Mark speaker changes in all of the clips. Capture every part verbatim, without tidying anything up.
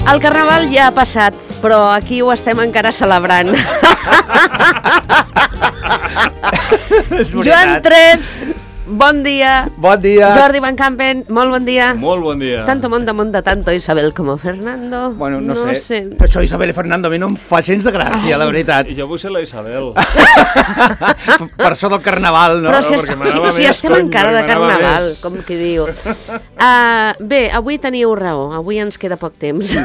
Speaker 1: El Carnaval ja ha passat, però aquí ho estem encara celebrant. Joan tres, bon dia.
Speaker 2: Bon dia.
Speaker 1: Jordi Van Campen, molt bon dia.
Speaker 3: Molt bon dia.
Speaker 1: Tanto monta, monta tanto Isabel como Fernando.
Speaker 2: Bueno, no,
Speaker 1: no
Speaker 2: sé.
Speaker 1: sé.
Speaker 2: Això Isabel i Fernando a mi no em fa gens de gràcia, oh. la veritat.
Speaker 3: I jo vull ser la Isabel.
Speaker 2: Per això del Carnaval, no?
Speaker 1: Però si,
Speaker 3: no,
Speaker 1: est
Speaker 3: si,
Speaker 1: si
Speaker 3: més,
Speaker 1: estem
Speaker 3: cony,
Speaker 1: encara de Carnaval,
Speaker 3: més.
Speaker 1: com qui diu. Uh, bé, avui teniu raó, avui ens queda poc temps.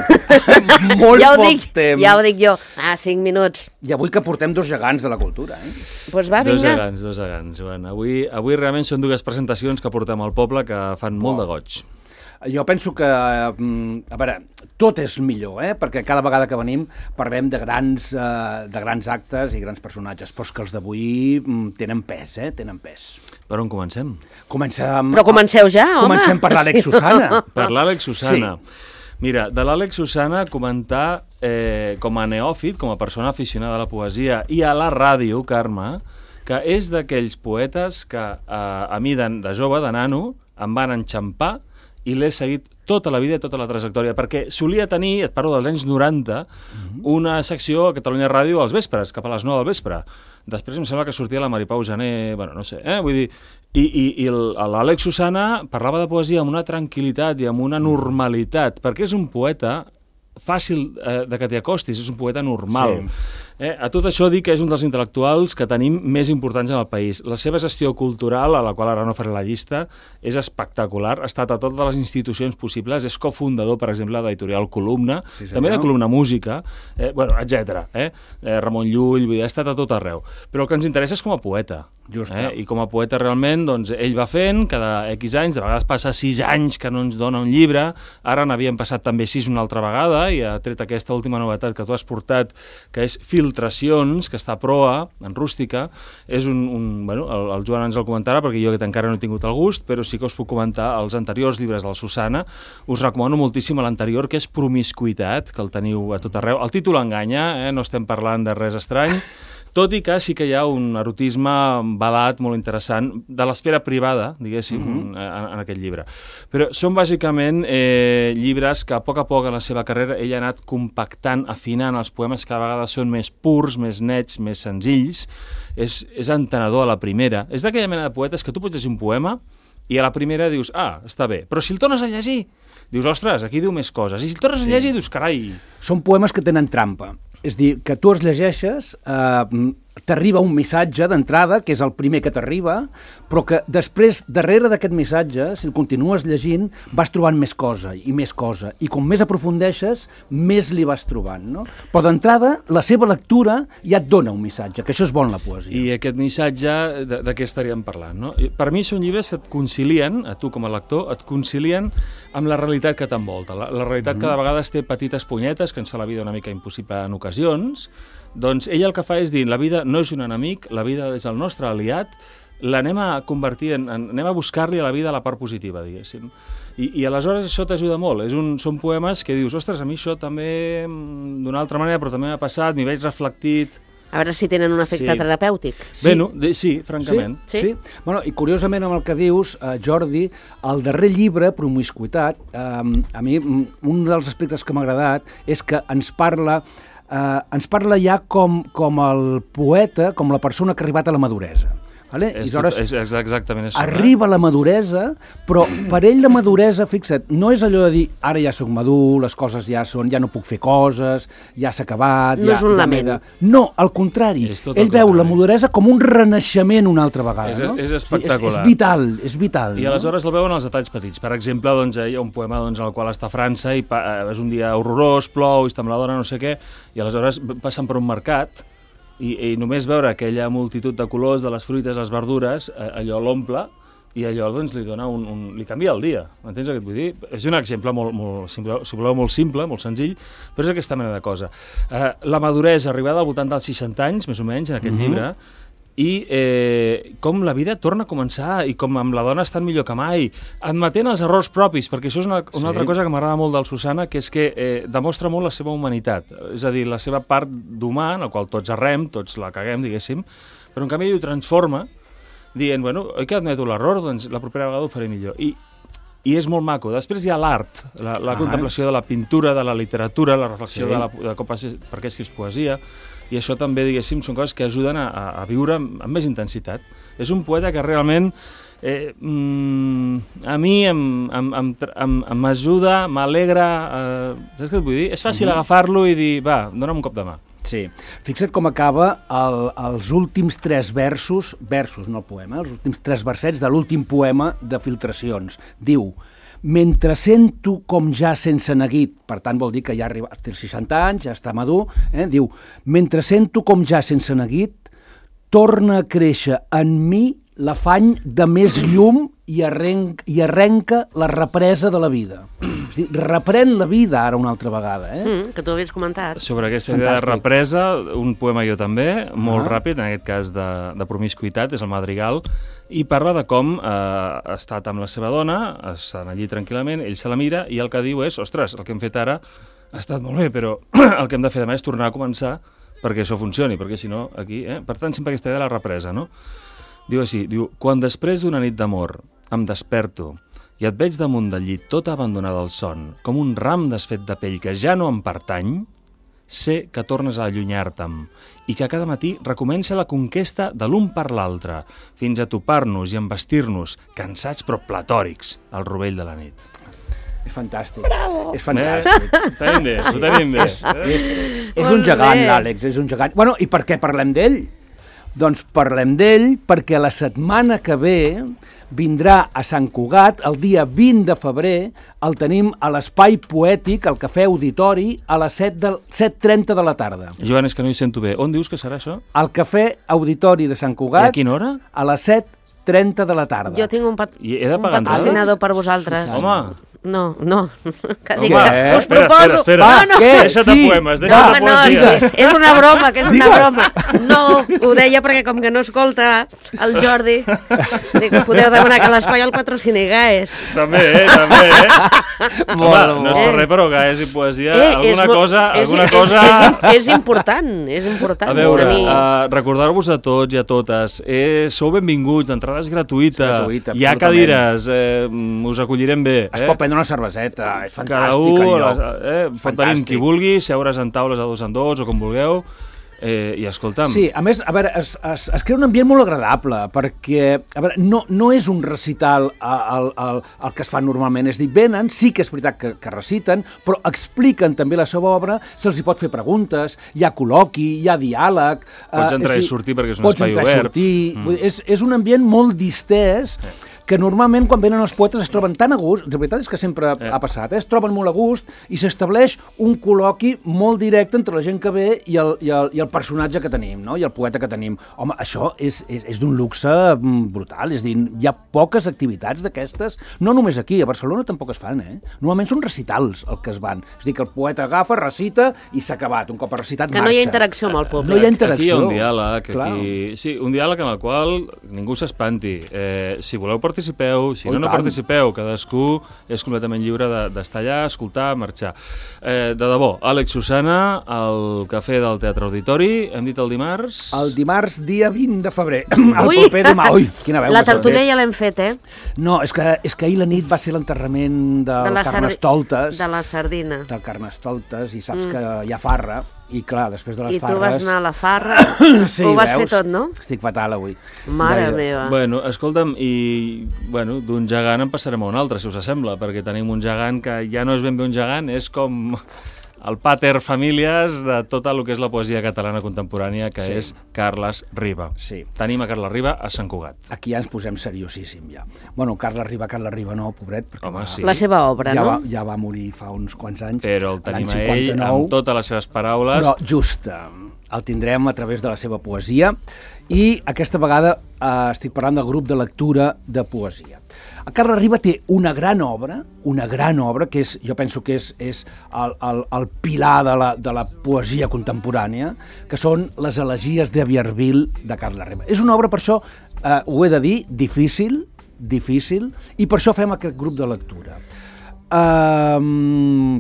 Speaker 2: Molt
Speaker 1: ja
Speaker 2: poc
Speaker 1: dic,
Speaker 2: temps.
Speaker 1: Ja ho dic jo. Ah, cinc minuts.
Speaker 2: I avui que portem dos gegants de la cultura, eh?
Speaker 1: Doncs pues va, vinga.
Speaker 3: Dos gegants, dos gegants, Joan. Avui, avui realment són dues presentacions que portem al poble que fan molt de goig.
Speaker 2: Jo penso que, a veure, tot és millor, eh? Perquè cada vegada que venim parlem de grans, uh, de grans actes i grans personatges, però és que els d'avui tenen pes, eh? Tenen pes.
Speaker 3: Per on comencem?
Speaker 2: Comencem...
Speaker 1: Però comenceu ja, home.
Speaker 2: Comencem per l'Àlex Susana.
Speaker 3: Per l'Àlex Susana.
Speaker 2: Sí.
Speaker 3: Mira, de l'Àlex Susana comentar eh, com a neòfit, com a persona aficionada a la poesia i a la ràdio, Carme, que és d'aquells poetes que eh, a mi de, de jove, de nano, em van enxampar i l'he seguit tota la vida i tota la trajectòria, perquè solia tenir, et parlo dels anys noranta, mm-hmm. una secció a Catalunya Ràdio als vespres, cap a les nou del vespre. Després em sembla que sortia la Maripau Jané, bueno, no sé, eh? Vull dir, i, i, i l'Àlex Susana parlava de poesia amb una tranquil·litat i amb una normalitat, perquè és un poeta fàcil eh, de que t'hi acostis, és un poeta normal. Sí. Eh, a tot això dic que és un dels intel·lectuals que tenim més importants en el país. La seva gestió cultural, a la qual ara no faré la llista, és espectacular. Ha estat a totes les institucions possibles, és cofundador, per exemple, d'Editorial Columna, sí, també de Columna Música, eh, bueno, etcètera. Eh? Eh, Ramon Llull, vull dir, ha estat a tot arreu. Però el que ens interessa és com a poeta. Just, eh? I com a poeta realment, doncs, ell va fent, cada X anys, de vegades passa sis anys que no ens dona un llibre, ara n'havien passat també sis una altra vegada, i ha tret aquesta última novetat que tu has portat, que és Filtracions, que està a proa, en rústica. És un, un bueno, el, el Joan ens el comentarà, perquè jo que encara no he tingut el gust, però sí que us puc comentar els anteriors llibres del Susana. Us recomano moltíssim l'anterior, que és Promiscuitat, que el teniu a tot arreu. El títol enganya, eh? No estem parlant de res estrany, tot i que sí que hi ha un erotisme balat molt interessant de l'esfera privada, diguéssim, mm-hmm. en, en aquest llibre. Però són bàsicament eh, llibres que a poc a poc en la seva carrera ell ha anat compactant, afinant els poemes que a vegades són més purs, més nets, més senzills. És, és entenedor a la primera. És d'aquella mena de poetes que tu pots llegir un poema i a la primera dius, ah, està bé, però si el tornes a llegir, dius, ostres, aquí diu més coses. I si el tornes sí. a llegir, dius, carai...
Speaker 2: Són poemes que tenen trampa. És dir, que tu els llegeixes, eh, t'arriba un missatge d'entrada, que és el primer que t'arriba, però que després, darrere d'aquest missatge, si el continues llegint, vas trobant més cosa i més cosa. I com més aprofundeixes, més li vas trobant, no? Però d'entrada, la seva lectura ja et dona un missatge, que això és bon, la poesia.
Speaker 3: I aquest missatge, de, de què estaríem parlant, no? Per mi són llibres que et concilien, a tu com a lector, et concilien amb la realitat que t'envolta. La, la realitat mm-hmm. cada vegada té petites punyetes, que ens fa la vida una mica impossible en ocasions. Doncs ell el que fa és dir, la vida no és un enemic, la vida és el nostre aliat, l'anem a convertir, en, en, anem a buscar-li a la vida la part positiva, diguéssim. I, i aleshores això t'ajuda molt. És un, són poemes que dius, ostres, a mi això també d'una altra manera, però també m'ha passat, m'hi veig reflectit...
Speaker 1: A veure si tenen un efecte sí. terapèutic.
Speaker 3: Sí. Bé, no, de, sí, francament.
Speaker 2: Sí, sí. sí. Bueno, i curiosament amb el que dius, eh, Jordi, el darrer llibre, Promiscuitat, eh, a mi un dels aspectes que m'ha agradat és que ens parla... Uh, ens parla ja com, com el poeta, com la persona que ha arribat a la maduresa. Vale?
Speaker 3: És,
Speaker 2: I aleshores,
Speaker 3: és exactament això.
Speaker 2: Arriba a la maduresa, però per ell la maduresa, fixa't, no és allò de dir ara ja soc madur, les coses ja són, ja no puc fer coses, ja s'ha acabat...
Speaker 1: No
Speaker 2: ja,
Speaker 1: és un
Speaker 2: ja
Speaker 1: lament.
Speaker 2: De... No, al contrari. Ell veu contrari. La maduresa com un renaixement una altra vegada.
Speaker 3: És,
Speaker 2: no?
Speaker 3: és espectacular.
Speaker 2: És, és vital, és vital.
Speaker 3: I
Speaker 2: no?
Speaker 3: aleshores el veuen els detalls petits. Per exemple, doncs, hi ha un poema doncs, en el qual està a França i pa, és un dia horrorós, plou, i està amb la dona, no sé què, i aleshores passen per un mercat i, i només veure aquella multitud de colors de les fruites, les verdures, allò l'omple i allò doncs, li dona un, un, li canvia el dia. Entens el que et vull dir? És un exemple molt, molt, si voleu, molt simple, molt senzill, però és aquesta mena de cosa. Eh, la maduresa arribada al voltant dels seixanta anys, més o menys, en aquest mm-hmm. llibre, i eh, com la vida torna a començar i com amb la dona estan millor que mai, admetent els errors propis, perquè això és una, una sí. altra cosa que m'agrada molt del Susana, que és que eh, demostra molt la seva humanitat, és a dir, la seva part d'humà, en la qual tots errem, tots la caguem, diguéssim, però en canvi ho transforma, dient, bueno, oi que admeto l'error? Doncs la propera vegada ho faré millor. I i és molt maco. Després hi ha l'art, la, la ah, contemplació de la pintura, de la literatura, la reflexió sí. de, la, de com, per què escrius poesia, i això també, diguéssim, són coses que ajuden a, a viure amb, amb més intensitat. És un poeta que realment eh, mm, a mi m'ajuda, m'alegra, eh, saps què et vull dir? És fàcil mm-hmm. agafar-lo i dir, va, dona'm un cop de mà.
Speaker 2: Sí. Fixa't com acaba el, els últims tres versos, versos, no el poema, els últims tres versets de l'últim poema de Filtracions. Diu, mentre sento com ja sense neguit, per tant vol dir que ja arriba, té els seixanta anys, ja està madur, eh? Diu, mentre sento com ja sense neguit, torna a créixer en mi l'afany de més llum i, arrenc, i arrenca la represa de la vida. És dir, reprèn la vida ara una altra vegada. Eh?
Speaker 1: Mm, que tu havies comentat.
Speaker 3: Sobre aquesta idea de represa, un poema jo també, molt ah. ràpid, en aquest cas de, de promiscuitat, és el Madrigal, i parla de com eh, ha estat amb la seva dona, estan allí tranquil·lament, ell se la mira i el que diu és, ostres, el que hem fet ara ha estat molt bé, però el que hem de fer demà és tornar a començar perquè això funcioni, perquè si no, aquí... Eh? Per tant, sempre aquesta idea de la represa, no? Diu així, diu, quan després d'una nit d'amor em desperto i et veig damunt del llit tota abandonada al son, com un ram desfet de pell que ja no em pertany, sé que tornes a allunyar-te'm i que cada matí recomença la conquesta de l'un per l'altre, fins a topar-nos i embestir-nos, cansats però platòrics, al rovell de la nit.
Speaker 2: És fantàstic.
Speaker 1: Bravo.
Speaker 2: És fantàstic.
Speaker 3: Eh? Ho tenim bé, ho tenim bé.
Speaker 2: És, és, és un gegant, l'Àlex, és un gegant. Bueno, i per què parlem d'ell? Doncs parlem d'ell perquè la setmana que ve vindrà a Sant Cugat, el dia vint de febrer, el tenim a l'Espai Poètic, al Cafè Auditori, a les set trenta de la tarda.
Speaker 3: Joan, és que no hi sento bé. On dius que serà això?
Speaker 2: Al Cafè Auditori de Sant Cugat.
Speaker 3: I a quina hora?
Speaker 2: A les set trenta de la tarda.
Speaker 1: Jo tinc un, pat
Speaker 3: I he de
Speaker 1: un patrocinador per vosaltres.
Speaker 3: Sí, home!
Speaker 1: No, no. Que dic,
Speaker 3: Home,
Speaker 1: eh? Us
Speaker 3: espera,
Speaker 1: proposo...
Speaker 3: espera, espera.
Speaker 1: No, no.
Speaker 2: Què?
Speaker 3: Deixa't
Speaker 2: Sí.
Speaker 3: de poemes, deixa't
Speaker 1: No,
Speaker 3: de
Speaker 1: no,
Speaker 3: poesia.
Speaker 1: és, és una broma, que és una broma. No, ho deia perquè com que no escolta el Jordi, dic, podeu demanar que l'espai el patrocini Gaes.
Speaker 3: També, eh? També, eh? Home,
Speaker 2: Molt,
Speaker 3: no és
Speaker 1: molt.
Speaker 3: per res, però Gaes i poesia,
Speaker 1: Eh,
Speaker 3: alguna
Speaker 1: és,
Speaker 3: cosa...
Speaker 1: és,
Speaker 3: alguna
Speaker 1: és,
Speaker 3: cosa...
Speaker 1: És, és, és important, és important.
Speaker 3: A veure,
Speaker 1: tenir...
Speaker 3: uh, recordar-vos a tots i a totes, eh, sou benvinguts, entrada és gratuïta,
Speaker 2: Gratuïta,
Speaker 3: hi ha
Speaker 2: absolutament.
Speaker 3: cadires, eh, us acollirem bé.
Speaker 2: Es
Speaker 3: eh?
Speaker 2: pot prendre una cerveseta, és fantàstic.
Speaker 3: Cada un,
Speaker 2: el lloc.
Speaker 3: eh, pot venir amb qui vulgui, seure's en taules a dos en dos o com vulgueu, eh, i escolta'm...
Speaker 2: Sí, a més, a veure, es, es, es crea un ambient molt agradable, perquè, a veure, no, no és un recital el, el, el que es fa normalment, és dir, venen, sí que és veritat que, que reciten, però expliquen també la seva obra, se'ls hi pot fer preguntes, hi ha col·loqui, hi ha diàleg...
Speaker 3: Pots entrar
Speaker 2: eh,
Speaker 3: i sortir perquè és un espai
Speaker 2: obert. Pots entrar i sortir,
Speaker 3: mm.
Speaker 2: vull dir, és, és un ambient molt distès, eh. que normalment quan venen els poetes es troben tan a gust, la veritat és que sempre eh. ha passat, eh? Es troben molt a gust i s'estableix un col·loqui molt directe entre la gent que ve i el, i el, i el personatge que tenim, no? I el poeta que tenim. Home, això és, és, és d'un luxe brutal, és a dir, hi ha poques activitats d'aquestes, no només aquí, a Barcelona tampoc es fan, eh? Normalment són recitals el que es van, és a dir, que el poeta agafa, recita i s'ha acabat, un cop ha recitat
Speaker 1: que
Speaker 2: marxa.
Speaker 1: no hi ha interacció amb el públic.
Speaker 2: No hi ha interacció.
Speaker 3: Aquí hi ha un diàleg,
Speaker 2: Clar.
Speaker 3: aquí... Sí, un diàleg en el qual ningú s'espanti. Eh, si voleu participeu, si
Speaker 2: Oh,
Speaker 3: no, no
Speaker 2: tant.
Speaker 3: participeu, cadascú és completament lliure d'estar allà, escoltar, marxar. Eh, de debò, Àlex Susana, al Cafè del Teatre Auditori, hem dit el dimarts...
Speaker 2: El dimarts, dia vint de febrer. El
Speaker 1: Ui!
Speaker 2: proper demà. Ui, quina veu.
Speaker 1: La
Speaker 2: que
Speaker 1: tertúlia
Speaker 2: s'ha
Speaker 1: ja l'hem fet, eh?
Speaker 2: fet. No, és que, és que ahir la nit va ser l'enterrament del
Speaker 1: De la sardi-
Speaker 2: Carnestoltes.
Speaker 1: De la sardina.
Speaker 2: Del Carnestoltes, i saps mm. que hi ha farra. I clar, després de les
Speaker 1: I tu
Speaker 2: farres...
Speaker 1: vas anar a la farra,
Speaker 2: sí,
Speaker 1: ho vas
Speaker 2: veus?
Speaker 1: fer tot, no?
Speaker 2: Estic fatal avui.
Speaker 1: Mare
Speaker 2: Gaire.
Speaker 1: meva.
Speaker 3: Bueno, escolta'm, i bueno, d'un gegant en passarem a un altre, si us sembla, perquè tenim un gegant que ja no és ben bé un gegant, és com el pater familias de tota el que és la poesia catalana contemporània, que
Speaker 2: Sí.
Speaker 3: és Carles Riba.
Speaker 2: Sí.
Speaker 3: Tenim a Carles Riba a Sant Cugat.
Speaker 2: Aquí ja ens posem seriosíssim, ja. Bueno, Carles Riba, Carles Riba no, pobret, perquè
Speaker 3: Home,
Speaker 2: va,
Speaker 3: sí.
Speaker 1: La seva obra,
Speaker 2: ja,
Speaker 1: no?
Speaker 2: va, ja va morir fa uns quants anys.
Speaker 3: Però el tenim
Speaker 2: l'any
Speaker 3: a ell
Speaker 2: cinquanta-nou.
Speaker 3: amb totes les seves paraules.
Speaker 2: Però just, eh, el tindrem a través de la seva poesia i aquesta vegada eh, estic parlant del grup de lectura de poesia. El Carles Riba té una gran obra, una gran obra, que és, jo penso que és, és el, el, el pilar de la, de la poesia contemporània, que són les elegies de Vierville de Carles Riba. És una obra, per això, eh, ho he de dir, difícil, difícil, i per això fem aquest grup de lectura. Um,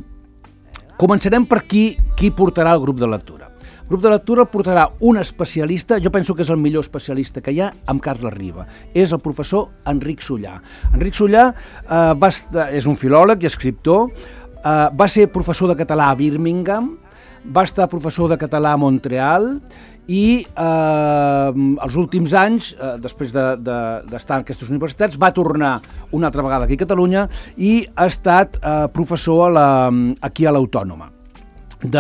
Speaker 2: començarem per qui, qui portarà el grup de lectura. grup de lectura el portarà un especialista, jo penso que és el millor especialista que hi ha, amb Carles Riba. És el professor Enric Sollà. Enric Sollà eh, va estar, és un filòleg i escriptor, eh, va ser professor de català a Birmingham, va estar professor de català a Montreal i eh, els últims anys, eh, després d'estar de, de, en aquestes universitats, va tornar una altra vegada aquí a Catalunya i ha estat eh, professor a la, aquí a l'Autònoma. De,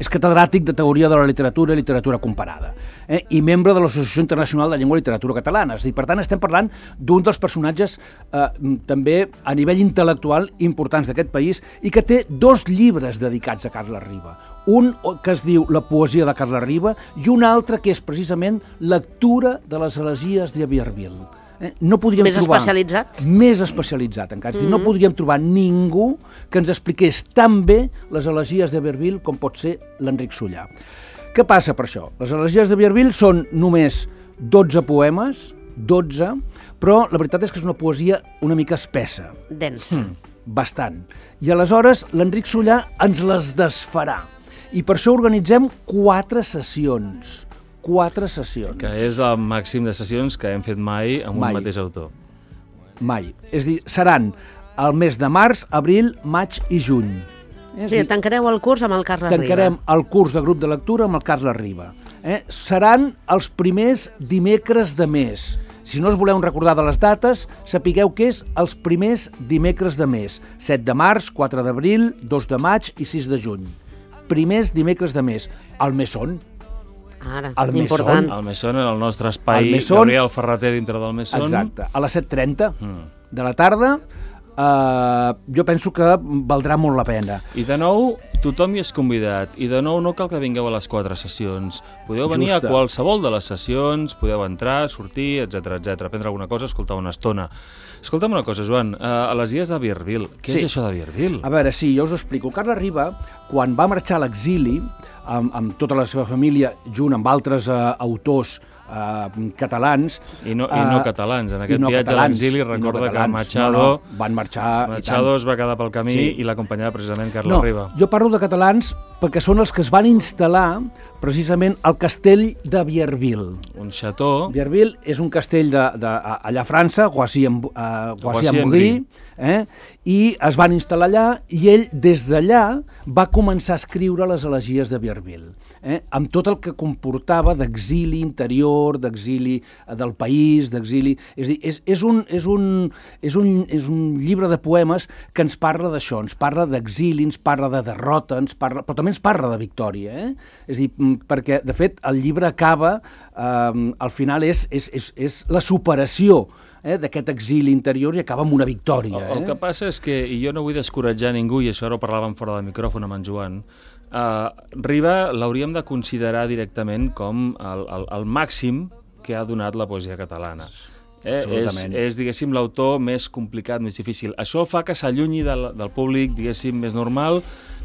Speaker 2: és catedràtic de Teoria de la Literatura i Literatura Comparada, eh, i membre de l'Associació Internacional de Llengua i Literatura Catalana. És a dir, per tant, estem parlant d'un dels personatges eh, també a nivell intel·lectual importants d'aquest país i que té dos llibres dedicats a Carles Riba. Un que es diu La poesia de Carles Riba i un altre que és precisament Lectura de les elegies de Vierville. Eh? No podríem
Speaker 1: més
Speaker 2: trobar,
Speaker 1: especialitzat?
Speaker 2: Més especialitzat, encara. Mm -hmm. No podríem trobar ningú que ens expliqués tan bé les elegies de Vierville com pot ser l'Enric Sollà. Què passa per això? Les elegies de Vierville són només dotze poemes, dotze, però la veritat és que és una poesia una mica espessa.
Speaker 1: Densa.
Speaker 2: Mm, bastant. I aleshores l'Enric Sollà ens les desfarà. I per això organitzem quatre sessions. Quatre sessions.
Speaker 3: Que és el màxim de sessions que hem fet mai amb
Speaker 2: mai.
Speaker 3: un mateix autor.
Speaker 2: Mai. És a dir, seran el mes de març, abril, maig i juny.
Speaker 1: Eh? Sí, tancareu el curs amb el Carles Riba.
Speaker 2: Tancarem el curs de grup de lectura amb el Carles Riba. Eh? Seran els primers dimecres de mes. Si no us voleu recordar de les dates, sapigueu que és els primers dimecres de mes. set de març, quatre d'abril, dos de maig i sis de juny. Primers dimecres de mes. Al Mesón.
Speaker 1: Ara,
Speaker 2: el
Speaker 1: important.
Speaker 3: Mesón. El Mesón era el nostre espai,
Speaker 2: el Mesón,
Speaker 3: Gabriel Ferreter dintre del Mesón.
Speaker 2: Exacte, a les set trenta
Speaker 3: mm.
Speaker 2: de la tarda. Uh, jo penso que valdrà molt la pena.
Speaker 3: I de nou, tothom hi és convidat. I de nou, no cal que vingueu a les quatre sessions. Podeu venir Justa. a qualsevol de les sessions, podeu entrar, sortir, etcètera, etcètera, prendre alguna cosa, escoltar una estona. Escolta'm una cosa, Joan, uh, a les dies de Vierville, què sí. és això de Vierville?
Speaker 2: A veure, sí, jo us ho explico. Carles Riba, quan va marxar a l'exili, amb, amb tota la seva família, junt amb altres uh, autors Uh, catalans.
Speaker 3: I no, i no uh, catalans. En aquest no viatge catalans, a l'exili recorda no que Machado,
Speaker 2: no, no, van marxar
Speaker 3: Machado es va quedar pel camí sí. i l'acompanyava precisament Carles
Speaker 2: no,
Speaker 3: Riba.
Speaker 2: Jo parlo de catalans perquè són els que es van instal·lar precisament al castell de Vierville.
Speaker 3: Un chateau.
Speaker 2: Vierville és un castell de, de, allà a França, Guassy-en-Brie, eh? I es van instal·lar allà i ell des d'allà va començar a escriure les elegies de Vierville. Eh? Amb tot el que comportava d'exili interior, d'exili del país, d'exili... És a dir, és, és, un, és, un, és, un, és un llibre de poemes que ens parla d'això, ens parla d'exili, ens parla de derrota, ens parla, però també ens parla de victòria. Eh? És a dir, perquè, de fet, el llibre acaba, eh, al final és, és, és, és la superació Eh, d'aquest exili interior i acaba amb una victòria. Eh?
Speaker 3: El, el que passa és que, i jo no vull descoratjar ningú, i això ara ho parlàvem fora del micròfon amb en Joan, uh, Riba l'hauríem de considerar directament com el, el, el màxim que ha donat la poesia catalana. Eh, és, és, diguéssim, l'autor més complicat, més difícil. Això fa que s'allunyi del, del públic, diguéssim, més normal,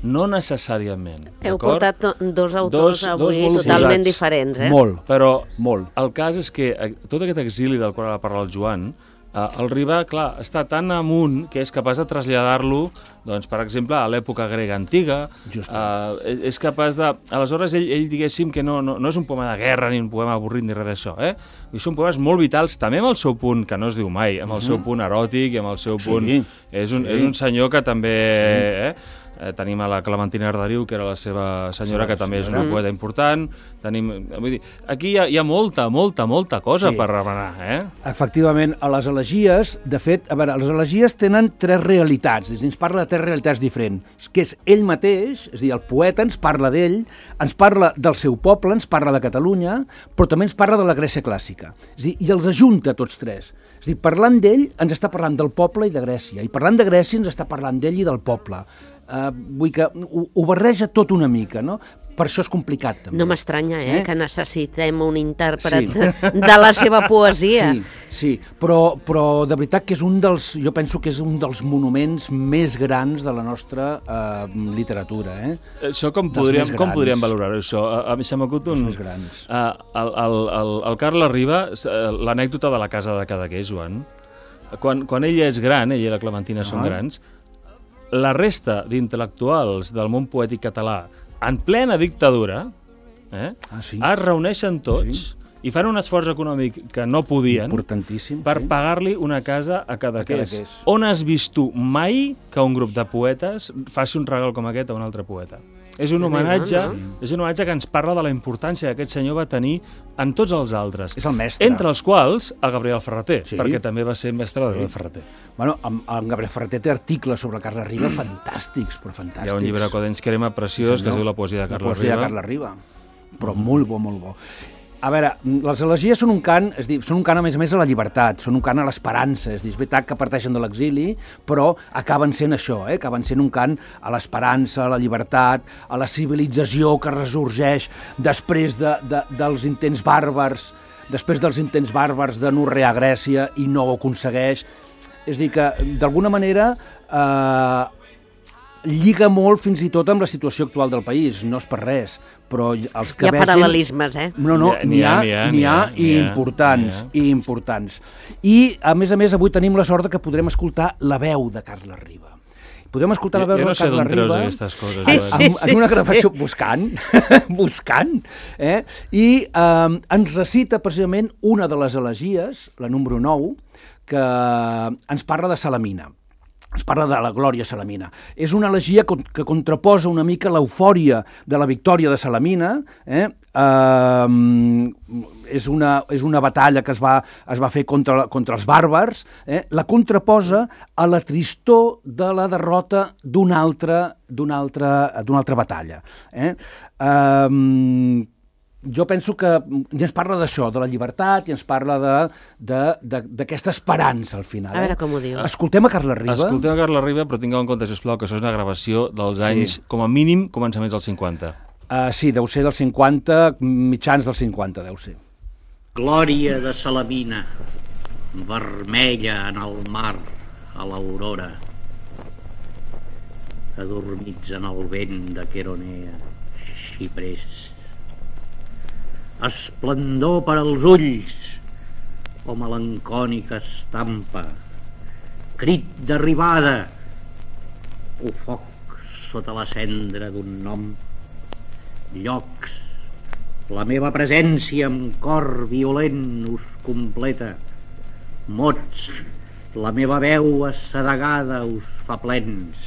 Speaker 3: no necessàriament.
Speaker 1: Heu portat dos autors dos, avui dos totalment diferents, eh?
Speaker 2: Molt,
Speaker 3: però
Speaker 2: molt.
Speaker 3: El cas és que tot aquest exili del qual ha parlat el Joan, Uh, el Riba, clar, està tan amunt que és capaç de traslladar-lo, doncs, per exemple, a l'època grega antiga. Uh, és capaç de... Aleshores, ell, ell diguéssim que no, no, no és un poema de guerra ni un poema avorrit ni res d'això, eh? I són poemes molt vitals, també amb el seu punt, que no es diu mai, amb el seu punt eròtic i amb el seu punt... Sí, és, un, sí. és un senyor que també... Sí. Eh? Eh, tenim a la Clementina Arderiu, que era la seva senyora, sí, que també és una poeta important. Tenim, vull dir, aquí hi ha, hi ha molta, molta, molta cosa sí. per remenar, eh?
Speaker 2: Efectivament, a les elegies, de fet, a veure, les elegies tenen tres realitats, ens parla de tres realitats diferents, que és ell mateix, és a dir, el poeta ens parla d'ell, ens parla del seu poble, ens parla de Catalunya, però també ens parla de la Grècia clàssica, és a dir, i els ajunta tots tres. És a dir, parlant d'ell ens està parlant del poble i de Grècia, i parlant de Grècia ens està parlant d'ell i del poble. Uh, vull que ho, ho barreja tot una mica, no? Per això és complicat, també.
Speaker 1: No m'estranya, eh, eh? que necessitem un intèrpret sí. de la seva poesia.
Speaker 2: Sí, sí, però, però de veritat que és un dels, jo penso que és un dels monuments més grans de la nostra uh, literatura, eh?
Speaker 3: Això com podríem, com podríem valorar-ho, això? A, a mi se m'acut un...
Speaker 2: més grans.
Speaker 3: Uh, el, el, el, el Carles Riba, l'anècdota de la casa de Cadaqués, Joan, quan, quan ell és gran, ell i la Clementina ah. són grans, la resta d'intel·lectuals del món poètic català en plena dictadura eh?
Speaker 2: Ah, sí.
Speaker 3: Es reuneixen tots
Speaker 2: Sí.
Speaker 3: i fan un esforç econòmic que no podien
Speaker 2: Importantíssim.
Speaker 3: per
Speaker 2: sí.
Speaker 3: pagar-li una casa a Cadaqués.
Speaker 2: Cadaqués.
Speaker 3: On has vist tu mai que un grup de poetes faci un regal com aquest a un altre poeta? És un homenatge,
Speaker 1: no?
Speaker 3: és un homenatge que ens parla de la importància que aquest senyor va tenir en tots els altres.
Speaker 2: És el mestre.
Speaker 3: Entre els quals a Gabriel Ferreter,
Speaker 2: Sí.
Speaker 3: perquè també va ser mestre de Gabriel Ferreter.
Speaker 2: Bueno, en, en Gabriel Ferreter té articles sobre Carles Riba fantàstics, però fantàstics.
Speaker 3: Hi ha un llibre Codenys Crema preciós que es diu La poesia de Carles
Speaker 2: La poesia
Speaker 3: Riba.
Speaker 2: de Carles Riba. Però molt bo, molt bo. A veure, les elegies són un cant, és dir, són un cant a més a més a la llibertat, són un cant a l'esperança, és dir, és veritat que parteixen de l'exili, però acaben sent això, eh? acaben sent un cant a l'esperança, a la llibertat, a la civilització que ressorgeix després de, de, dels intents bàrbars, després dels intents bàrbars de norrear Grècia i no ho aconsegueix. És dir, que d'alguna manera eh, lliga molt fins i tot amb la situació actual del país, no és per res, però els que
Speaker 1: Hi ha
Speaker 2: vegin...
Speaker 1: paral·lelismes, eh?
Speaker 2: No, no, n'hi ha, n'hi ha, n'hi ha, i importants, i importants. I, a més a més, avui tenim la sort que podrem escoltar la veu de Carles Riba. Podrem escoltar la veu
Speaker 3: jo no
Speaker 2: de Carles
Speaker 3: sé d'on treus
Speaker 2: Riba
Speaker 3: aquestes coses,
Speaker 2: en,
Speaker 3: Joan.
Speaker 2: en, en una gravació buscant, buscant, eh? i eh, ens recita precisament una de les elegies, la número nou, que ens parla de Salamina. Es parla de la glòria salamina. És una elegia que contraposa una mica l'eufòria de la victòria de Salamina. Eh? Uh, és, una, és una batalla que es va, es va fer contra, contra els bàrbars. Eh? La contraposa a la tristor de la derrota d'una altra, d'una altra, d'una altra batalla. Eh? Uh, jo penso que i ens parla d'això, de la llibertat, i ens parla d'aquesta esperança al final.
Speaker 1: A veure
Speaker 2: eh?
Speaker 1: com ho diu.
Speaker 2: Escoltem a Carles Riba.
Speaker 3: Escoltem a Carles Riba, però tingueu en compte, sisplau, que això és una gravació dels anys,
Speaker 2: Sí.
Speaker 3: com a mínim, començaments dels cinquanta.
Speaker 2: Uh, sí, deu ser dels cinquanta, mitjans dels cinquanta, deu ser.
Speaker 4: Glòria de Salamina, vermella en el mar a l'aurora, adormits en el vent de Queronea, xiprers. Esplendor per als ulls, o melancònica estampa, crit d'arribada, o foc sota la cendra d'un nom, llocs, la meva presència amb cor violent us completa, mots, la meva veu assedegada us fa plens.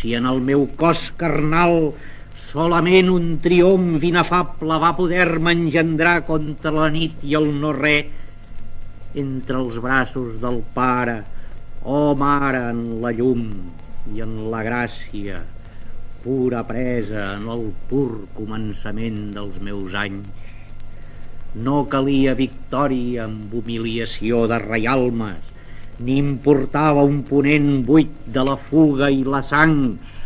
Speaker 4: Si en el meu cos carnal solament un triomf inefable va poder-me engendrar contra la nit i el no-res, entre els braços del Pare, oh Mare en la llum i en la gràcia, pura presa en el pur començament dels meus anys, no calia victòria amb humiliació de reialmes, ni importava un ponent buit de la fuga i la sang,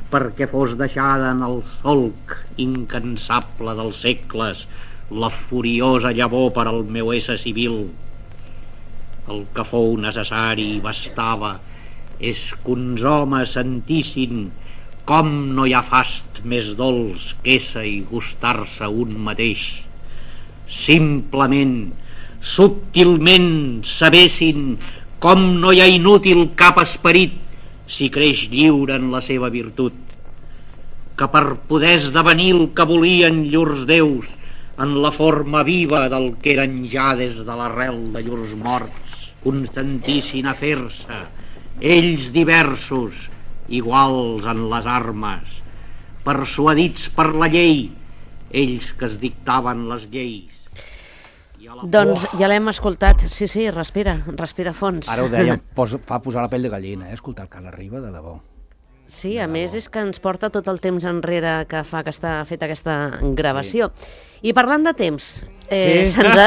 Speaker 4: perquè fos deixada en el solc incansable dels segles la furiosa llavor per al meu ésser civil. El que fou necessari i bastava és que uns homes sentissin com no hi ha fast més dolç que ésser i gustar-se un mateix. Simplement, subtilment sabessin com no hi ha inútil cap esperit si creix lliure en la seva virtut, que per poder esdevenir el que volien llurs déus en la forma viva del que eren ja des de l'arrel de llurs morts, contentissin a fer-se, ells diversos, iguals en les armes, persuadits per la llei, ells que es dictaven les lleis.
Speaker 1: Doncs ja l'hem escoltat. Sí, sí, respira, respira fons.
Speaker 2: Ara ho deia, posa, fa posar la pell de gallina, eh? Escoltar el Carles Riba, de debò.
Speaker 1: Sí, a més és que ens porta tot el temps enrere que fa que està feta aquesta gravació. Sí. I parlant de temps, eh,
Speaker 2: Sí?
Speaker 1: se'ns ha...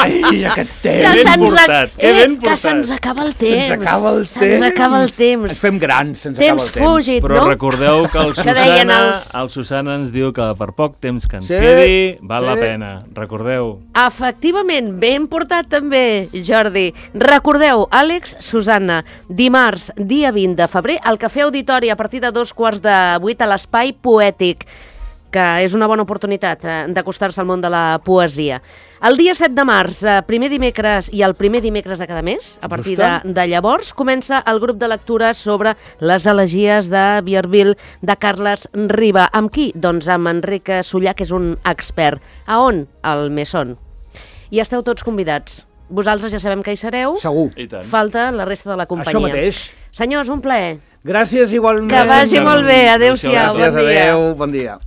Speaker 2: Ai, aquest
Speaker 1: que
Speaker 2: temps!
Speaker 3: ben
Speaker 1: se'ns
Speaker 3: portat, que
Speaker 1: eh,
Speaker 3: ben
Speaker 1: que
Speaker 3: portat.
Speaker 1: se'ns acaba el temps.
Speaker 2: Se'ns acaba el temps.
Speaker 1: Se'ns acaba el temps.
Speaker 2: Ens fem grans, se'ns acaba
Speaker 1: Temps
Speaker 2: el temps.
Speaker 1: fúgid,
Speaker 3: Però
Speaker 1: no?
Speaker 3: recordeu que el
Speaker 1: Que deien
Speaker 3: Susana,
Speaker 1: els-
Speaker 3: el Susana ens diu que per poc temps que ens
Speaker 2: Sí,
Speaker 3: quedi val la
Speaker 2: sí.
Speaker 3: pena. Recordeu.
Speaker 1: Efectivament, ben portat també, Jordi. Recordeu, Àlex, Susana, dimarts, dia vint de febrer, al Cafè Auditori, a partir de dos quarts de vuit a l'Espai Poètic. que és una bona oportunitat eh, d'acostar-se al món de la poesia. El dia set de març, eh, primer dimecres i el primer dimecres de cada mes, a partir de, de llavors, comença el grup de lectures sobre les elegies de Vierville de Carles Riba. Amb qui? Doncs amb Enric Sullà, que és un expert. A on? Al Mesón. I esteu tots convidats. Vosaltres ja sabem que hi sereu.
Speaker 2: Segur.
Speaker 3: I tant.
Speaker 1: Falta la resta de la companyia.
Speaker 2: Això mateix.
Speaker 1: Senyors, un plaer.
Speaker 2: Gràcies igualment.
Speaker 1: Que vagi molt bé. Adéu-siau.
Speaker 2: Gràcies,
Speaker 1: Bon dia.
Speaker 2: adéu, bon dia.